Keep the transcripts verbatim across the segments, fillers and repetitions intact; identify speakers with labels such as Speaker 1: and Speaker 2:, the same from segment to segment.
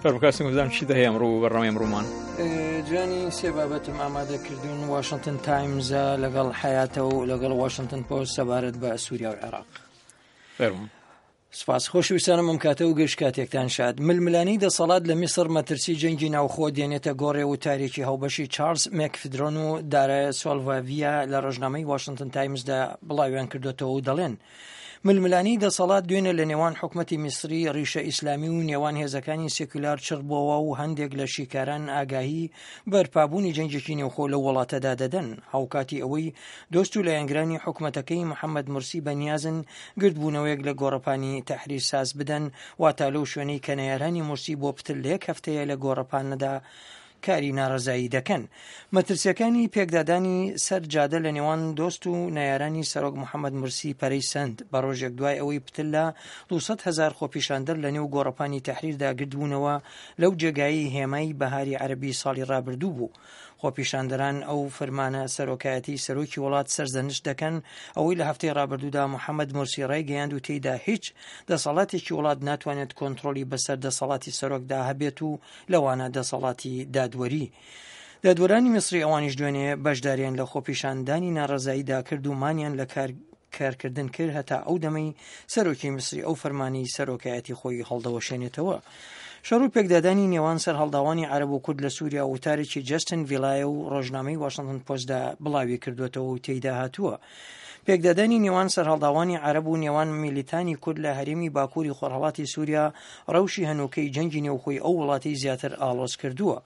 Speaker 1: فەرموو بزانم چی هەیە ئەمڕۆ بەرنامەی ئەمڕۆمان.
Speaker 2: جوانی سێ بابەتم ئامادە کردوون، واشنگتن تایمزە لەگەڵ حیاتە و لەگەڵ واشنگتن پۆست سەبارەت بە سووریا و عێراق.
Speaker 1: فەرموو.
Speaker 2: سپاس. خۆشویستانم ئەم کاتە و گشت کاتێکتان شاد. ململانێی دەسەڵات لە میسر مەترسی جەنگی ناوخۆ دێنێتە گۆڕێ و تارێکی هاوبەشی چارلز مێکفدرۆن و دارا سۆلڤاڤیا لە ڕۆژنامەی واشنگتن تایمزدا بڵاویان کردوێتەوە و دەڵێن ململانێی دەسەڵات دوێنێ لە نێوان حکومەتی میسری ڕیشە ئیسلامی و نێوان هێزەکانی سێکولار چڕ بووەوە و هەندێک لە شیکاران ئاگاهی بەرپابوونی جەنگێکی نێوخۆ لەو وڵاتەدا دەدەن. هاوکاتی ئەوەی دۆست و لایەنگرانی حکومەتەکەی محەممەد مرسی بەنیازن گردبوونەوەیەک لە گۆڕەپانی تەحریر ساز بدەن، واتە لەو شوێنەی کە نەیارانی مرسی بۆ پتر لە یەک هەفتەیە لە گۆڕەپانەدا کاری ناڕەزایی دەکەن. مەترسیەکانی پێکدادانی سەر جادە لە نێوان دۆست و نەیارانی سەرۆک محەممەد مرسی پەرەی سەند بە ڕۆژێک دوای ئەوەی پتر لە دوو سەد هەزار خۆپیشاندەر لە نێو گۆڕەپانی تەحریردا گردبوونەوە لەو جێگایەی هێمای بەهاری عەرەبی ساڵی ڕابردوو بوو. خۆپیشاندەران ئەو فرمانە سەرۆکایەتی سەرۆکی وڵات سەرزەنشت دەکەن ئەوەی لە هەفتەی ڕابردوودا محەممەد مرسی ڕایگەیاند و تێیدا هیچ دەسەڵاتێکی وڵات ناتوانێت کۆنترۆڵی بەسەر دەسەڵاتی سەرۆکدا هەبێت و لەوانە دەسەڵاتی دادوەری. دادوەرانی میسری ئەوانیش دوێنێ بەشداریان لە خۆپیشاندانی ناڕەزاییدا کرد و مانیان لە کار کارکردن کرد هەتا ئەو دەمەی سەرۆکی میسری ئەو فەرمانی سەرۆکایەتی خۆی هەڵدەوەشێنێتەوە. شەڕ و پێکدادانی نێوان سەرهەڵداوانی عەرەب و کورد لە سووریا وتارێکی جەستن ڤیلایە و ڕۆژنامەی واشنگتن پۆستدا بڵاوی کردوێتەوە و تێیدا هاتووە پێکدادانی نێوان سەرهەڵداوانی عەرەب و نێوان میلیتانی کورد لە هەرێمی باکووری خۆرهەڵاتی سووریا ڕەوشی هەنووکەی جەنگی نێوخۆی ئەو وڵاتی زیاتر ئاڵۆز کردووە.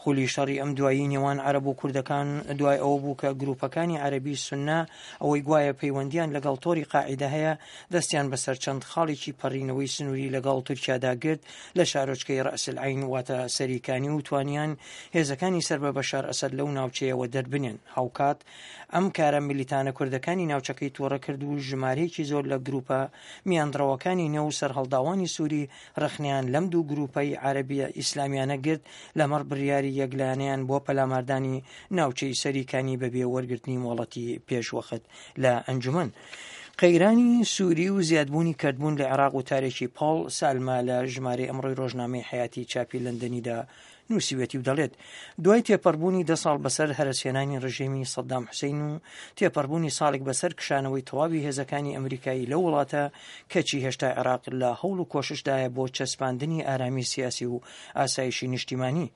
Speaker 2: خولی شەڕی ئەم دوایی نێوان عەرەب و کوردەکان دوای ئەوە بوو کە گروپەکانی عەرەبی سونە ئەوەی گوایە پەیوەندیان لەگەڵ تۆری قاعیدە هەیە دەستیان بەسەر چەند خاڵێکی پەڕینەوەی سنووری لەگەڵ تورکیادا گرت لە شارۆچکەی ڕەئس العین واتە سەریکانی و توانیان هێزەکانی سەر بە بەشار ئەسەد لەو ناوچەیەوە دەربنێن. هاوکات ئەم کارە میلیتانە کوردەکانی ناوچەکەی تووڕە کرد و ژمارەیەکی زۆر لە گروپە میانڕەوەکانی نێو سەرهەڵداوانی سووری ڕەخنەیان لەم دوو گروپەی عەرەبیە ئیسلامیانە گرت لەمەڕ بڕیاری یەکلایەنەیان بۆ پەلاماردانی ناوچەی سەریکانی بەبێ وەرگرتنی مۆڵەتی پێشوەخت لە ئەنجومەن. قەیرانی سووری و زیادبوونی کردبوون لە عێراق و تارێکی پاڵ سالما لە ژمارەی ئەمڕۆی ڕۆژنامەی حیاتی چاپی لەندەنیدا نووسیوێتی و دەڵێت دوای تێپەڕبوونی دە ساڵ بەسەر هەرەسهێنانی ڕژێمی سەدام حوسین و تێپەڕبوونی ساڵێک بەسەر کشانەوەی تەواوی هێزەکانی ئەمریکایی لەو وڵاتە، کەچی هێشتا عێراق لە هەوڵ و کۆششدایە بۆ چەسپاندنی ئارامی سیاسی و ئاسایشی نیشتیمانی.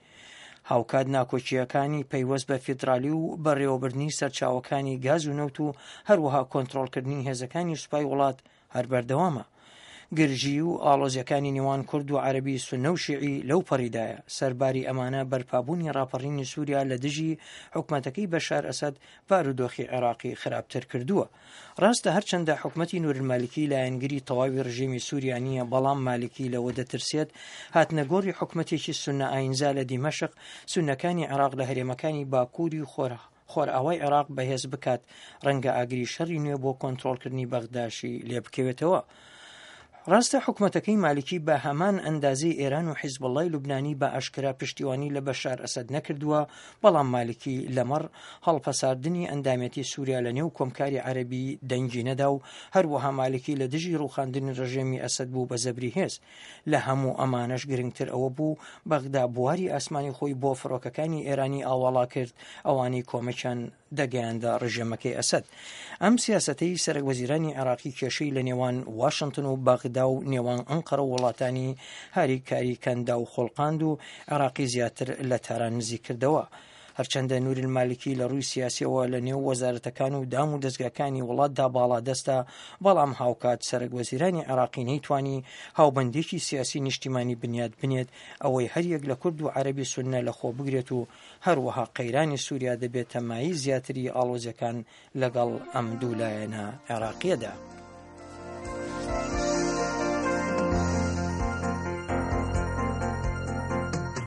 Speaker 2: هاوکات ناکۆکییەکانی پەیوەست بە فیدرالی و بەڕێوەبردنی سەرچاوەکانی گاز و نەوت و هەروەها کۆنترۆڵکردنی هێزەکانی سوپای وڵات هەر بەردەوامە. گرژی و ئاڵۆزیەکانی نێوان کورد و عەرەبی سوننە و شیعی لەو پەڕیدایە. سەرباری ئەمانە بەرپابوونی ڕاپەڕینی سووریا لە دژی حکومەتەکەی بەشار ئەسەد بارودۆخی عێراقی خراپتر کردووە. ڕاستە هەرچەندە حکومەتی نورالمالکی لایەنگری تەواوی ڕژێمی سووریا نییە، بەڵام مالکی لەوە دەترسێت هاتنەگۆڕی حکومەتێکی سوننە ئاینزا لە دیمەشق سوننەکانی عێراق لە هەرێمەکانی باکووری خۆر خۆرئاوای عێراق بەهێز بکات، ڕەنگە ئاگری شەڕی نوێ بۆ کۆنترۆڵکردنی بەغداشی لێ بکەوێتەوە. ڕاستە حکومەتەکەی مالکی بە هەمان ئەندازەی ئێران و حیزبوڵڵای لوبنانی بە ئاشکرا پشتیوانی لە بەشار ئەسەد نەکردووە، بەڵام مالکی لەمەڕ هەڵپەساردنی ئەندامێتی سووریا لە نێو کۆمکاری عەرەبی دەنگی نەدا و هەروەها مالکی لە دژی ڕووخاندنی ڕژێمی ئەسەد بوو بە زەبری هێز. لە هەموو ئەمانەش گرنگتر ئەوە بوو بەغدا بواری ئاسمانی خۆی بۆ فڕۆکەکانی ئێرانی ئاواڵا کرد، ئەوانەی کۆمەکیان دەگەیاندە ڕژێمەکەی ئەسەد. ئەم سیاسەتەی سەرەک وەزیرانی عێراقی کێشەی لە نێوان واشنگتن و بەغدا و نێوان ئەنقەرە و وڵاتانی هاریکاری کەندا و خۆڵقاند و عێراقی زیاتر لە تاران نزیک کردەوە. هەرچەندە نور المالکی لە ڕووی سیاسیەوە لە نێو وەزارەتەکان و دام و دەستگاکانی وڵاتدا باڵادەستە، بەڵام هاوکات سەرەک وەزیرانی عێراقی نەیتوانی هاوبەندێکی سیاسی نیشتیمانی بنیات بنێت ئەوەی هەریەک لە کورد و عەرەبی سوننە لە خۆ بگرێت و هەروەها قەیرانی سووریا دەبێتە مایەی زیاتری ئاڵۆزیەکان لەگەڵ ئەم دوو لایەنە عێراقیەدا.